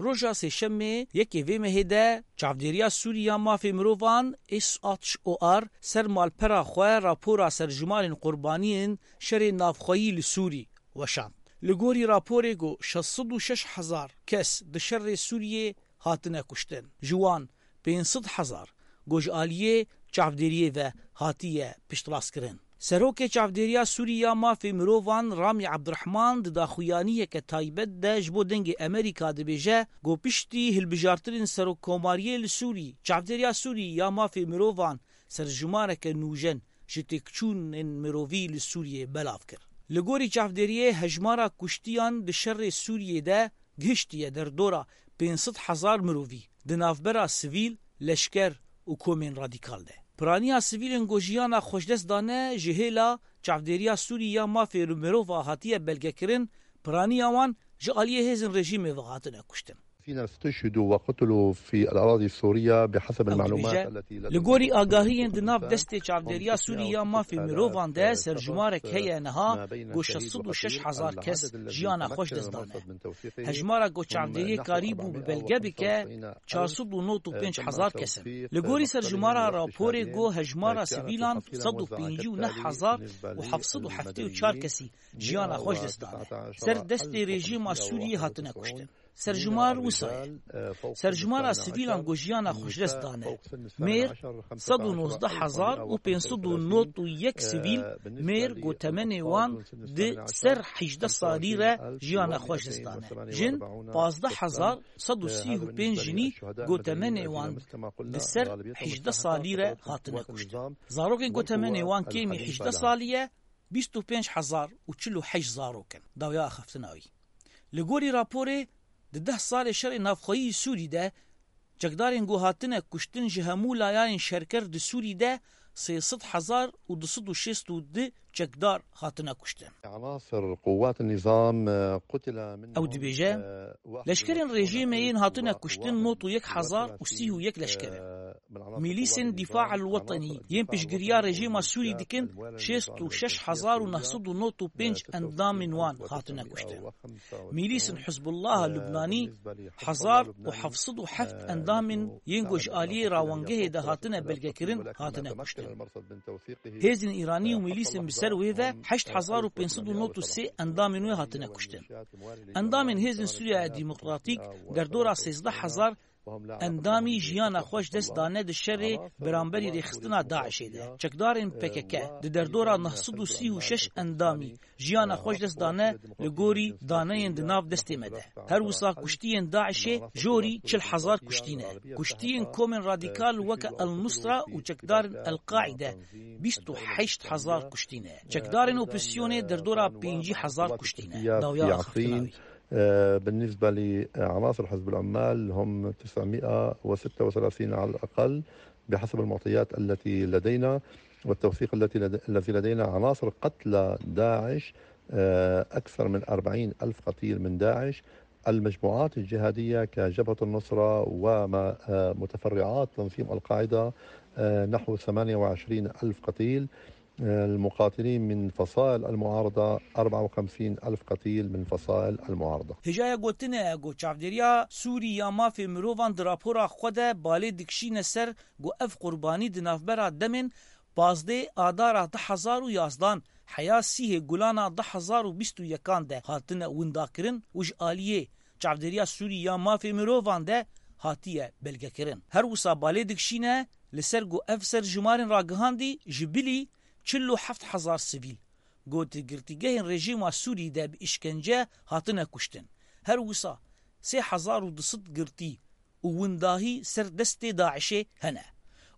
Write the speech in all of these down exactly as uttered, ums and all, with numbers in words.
Roja Sêşemê yekê vê mehê de Çavdêriya Sûrî ya Mafê Mirovan, S H O R, ser malpera xwe rapora serjimarên qurbaniyên şerê navxweyî li Sûrî weşand. Li gorî raporê ku şeş sed û şeş hezar kes di şerê Sûriyê hatine kuştin. Ji wan pênc sed hezar ku ji aliyê çavdêriyê ve hatiye piştrastkirin. Serokê Çavdêriya Sûrî ya Mafê Mirovan Ramî Ebdurehman di daxuyaniyeke taybet de ji bo Dengê Amerîka dibêje ku piştî hilbijartinên serokkomariyê li Sûrî, Çavdêriya Sûrî ya Mafê Mirovan serjimareke nûjen ji têkçûnên mirovî li Sûriyê belav kir. Li gorî çavdêriyê hejmara kuştiyan di şerê Sûriyê de gihiştiye derdora pênc sed hezar mirovî di navbera sivîl, leşker û komên radîkal de. Piraniya sivîlên ku jiyana xwe ji dest dane ji hêla Çavdêriya Sûrî ya Mafê Mirova hatiye belgekirin, piraniya wan ji aliyê hêzên rejîmê ve hatine kuştin. الذين استشهدوا وقتلوا في الأراضي السورية بحسب Ew المعلومات dibêje, التي لدينا. Li gorî agahiyên di nav destê Çavdêriya Sûrî ya Mafê Mirovan de serjimarek heye niha ku şeş sed û şeş hezar kes jiyana xwe ji dest dane. Hejmara ku çavdêriyê karîbû bi belge bike, çar sed û nod û pênc hezar kes in. Li gorî serjimara raporê ku hejmara sivîlan sed û pêncî û neh hezar û heft sed û heftê û çar kesî jiyana xwe ji dest dane, ser destê rejîma Sûriyê hatine kuştin. Serjimar wisa ye. Serjimara sivîlan ku jiyana xwe ji dest dane. Mêr sed û nozdeh hezar û pênc sed û nod û yek sivîl, mêr ku temenê wan di ser hejdeh salî re jiyana xwe ji dest dane. Jin pazdeh hezar sed û sî û pênc jinî ku temenê wan di ser hejdeh salî re hatine kuştin. Zarokên ku temenê wan kêmî hejdeh salî ye, bîst û pênc hezar û çil û heşt zarok in. Dawiya axaftina wî. Li gorî raporê, di deh salê şerê navxweyî Sûrî de, çekdarên ku hatine kuştin ji hemû layanên şerker di Sûrî de sê sed hezar û du sed û şêst û du çekdar hatine kuştin. عناصر قوات النظام قتل منهم، Ew dibêje, leşkerên rejîmê yên hatine kuştin nod û yek hezar û sî û yek leşker in. Mîlîsên Difa el Wetenî yên piştgiriya rejîma Sûrî dikin, şêst û şeş hezar û neh sed û nod û pênc endamên wan hatine kuştin. Mîlîsên Hizbullaha Lubnanî hezar û heft sed û heft endamên yên ku ji aliyê rawangehê de hatine belgekirin, hatine kuştin. Hêzên Îranî û mîlîsên bi ser wê ve heşt hezar û pênc sed û nod û sê endamên wê hatine kuştin. Endamên Hêzên Sûriya Demokratîk derdora sêzdeh hezar endamî jiyana xwe ji dest dane di şerê beramberî rêxistina DAIŞê de. Çekdarên P K K di derdora neh sed û sî û şeş endamî jiyana xwe ji dest dane li gorî daneyên di nav destê me de. Her wisa kuştiyên DAIŞê jorî çil hezar kuştî ne. Kuştiyên komên radîkal weke El Nusra û çekdarên El Qaîde bîst û heşt hezar kuştî ne. Çekdarên opozisyonê derdora pêncî hezar kuştî ne. Dawiya axaftina wî. آه، بالنسبة لعناصر حزب العمال هم تسعمائة وستة وثلاثين على الأقل بحسب المعطيات التي لدينا والتوثيق التي لد-، الذي لدينا. عناصر قتلى داعش، آه، أكثر من أربعين ألف قتيل من داعش. المجموعات الجهادية كجبهة النصرة وما، آه، متفرعات تنظيم القاعدة، آه، نحو ثمانية وعشرين ألف قتيل. المقاتلين من فصائل المعارضة، أربعة وخمسين ألف قتيل من فصائل المعارضة. Hêjaya gotinê ye ku Çavdêriya Sûrî ya Mafê Mirovan di rapora xwe de balê dikişîne ser ku ev qurbanî di navbera demên pazdeh Adara du hezar û yazdan heya sîhê Gulana du hezar û bîst û yekan de hatine windakirin û ji aliyê Çavdêriya Sûrî ya Mafê Mirovan de hatiye belgekirin. Her wisa balê dikişîne li ser ku ev serjimarên ragihandî ji bilî çil û heft hezar sivîl, ku di girtîgehên rejîma Sûrî de bi îşkence hatine kuştin. Her wisa sê hezar û du sed girtî û windahî ser destê DAIŞê hene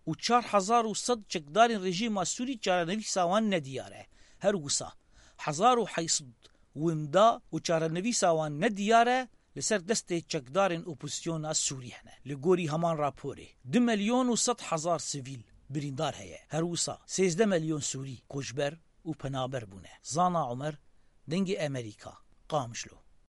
û çar hezar û sed çekdarên rejîma Sûrî çarenivîsa wan nediyar e. Her wisa hezar û heyt sed winda û çarenivîsa wan nediyar e li ser destê çekdarên opozisyona Sûrî hene. Li gorî heman raporê, du milyon û sed hezar sivîl birîndar heye. Her wisa sêzdeh milyon Sûrî koçber û penaber bûne. Zana Omer, Dengê Amerîka, Qamişlo.